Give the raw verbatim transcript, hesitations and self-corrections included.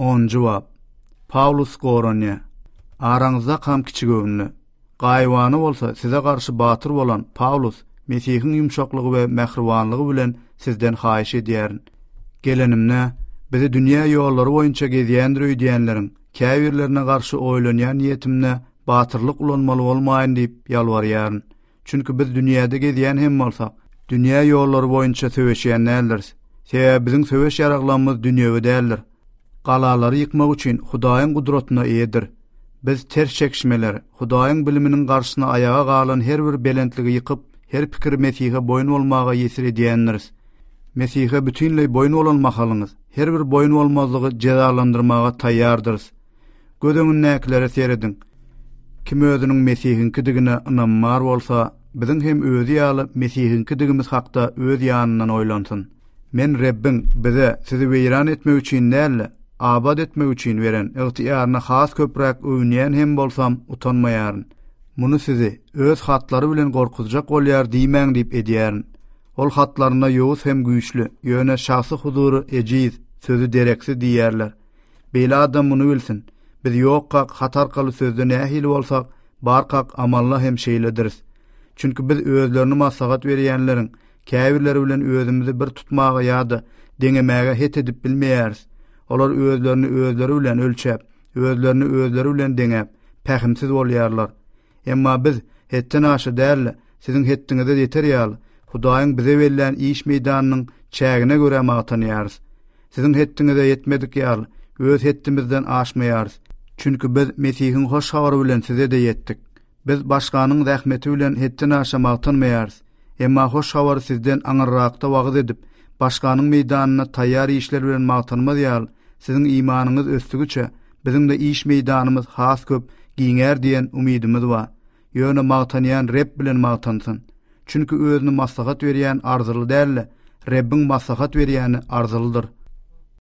Onunjy bap. Pawlus goranýar. Araňyzdakam kiçigöwünli, gaýybana bolsa size garşy batyr bolan Pawlus Mesihiň ýumşaklygy we mähribanlygy bilen sizden haýyş edýärin. Gelenimde, bizi dünýä ýollary boýunça gezýändir öýdýänleriň käbirlerine garşy oýlanýan niýetimde batyrlyk ulanmaly bolmaýyn diýip ýalbarýaryn. Çünki biz dünýäde gezýän hem bolsak, dünýä ýollary boýunça söweşýän däldiris. Sebäbi biziň söweş ýaraglarymyz dünýewi däldir. Galalary ýykmak üçin Hudaýyň gudratyna eýedir. Biz ters çekişmeleri, Hudaýyň biliminiň garşysyna aýaga galan her bir belentligi ýykyp, her pikiri Mesihe boýun bolmaga ýesir edýändiris. Mesihe bütinleý boýun bolan mahalyňyz, her bir boýun bolmazlygy jezalandyrmaga taýýardyrys. Göz öňündäkilere serediň. Kim özüniň Mesihiňkidigine ynamy bar bolsa, biziň hem özi ýaly Mesihiňkidigimiz hakda öz ýanyndan oýlansyn. Men Rebbiň bize sizi weýran etmek üçin däl-de, abat etmek üçin beren ygtyýaryna has köpräk öwünýän hem bolsam, utanmaýaryn. Muny sizi öz hatlary bilen gorkuzjak bolýar diýmäň diýip edýärin. Ol hatlarynda ýowuz hem güýçli, ýöne şahsy huzury ejiz, sözi dereksiz diýýärler. Beýle adam muny bilsin. Biz ýokkak hat arkaly sözde nähili bolsak, barkak amalla hem şeýlediris. Çünki biz özlerini maslahat berýänleriň käbirleri bilen özümizi bir tutmaga ýa-da deňemäge het edip bilmeýäris. Olar özlerini özleri bilen ölçäp, özlerini özleri bilen deňäp, pähimsiz bolýarlar. Emma biz hetden aşa däl-de, siziň hetdiňize ýeter ýaly, Hudaýyň bize bellän iş meýdanynyň çägine görä magtanýarys. Siziň hetdiňize ýetmedik ýaly, öz hetdimizden aşmaýarys. Çünki biz Mesihiň hoş habary bilen size-de ýetdik. Biz başganyň zähmeti bilen hetden aşa magtanmaýarys. Emma hoş habary sizden aňyrrakda wagyz edip, başganyň meýdanynda taýýar işler bilen magtanmaz ýaly, siziň imanyňyz ösdügiçe, biziň-de iş meýdanymyz has köp giňär diýen umydymyz bar. Ýöne magtanýan Reb bilen magtansyn. Çünki özüni maslahat berýän arzyly däl-de, Rebbiň maslahat berýäni arzylydyr.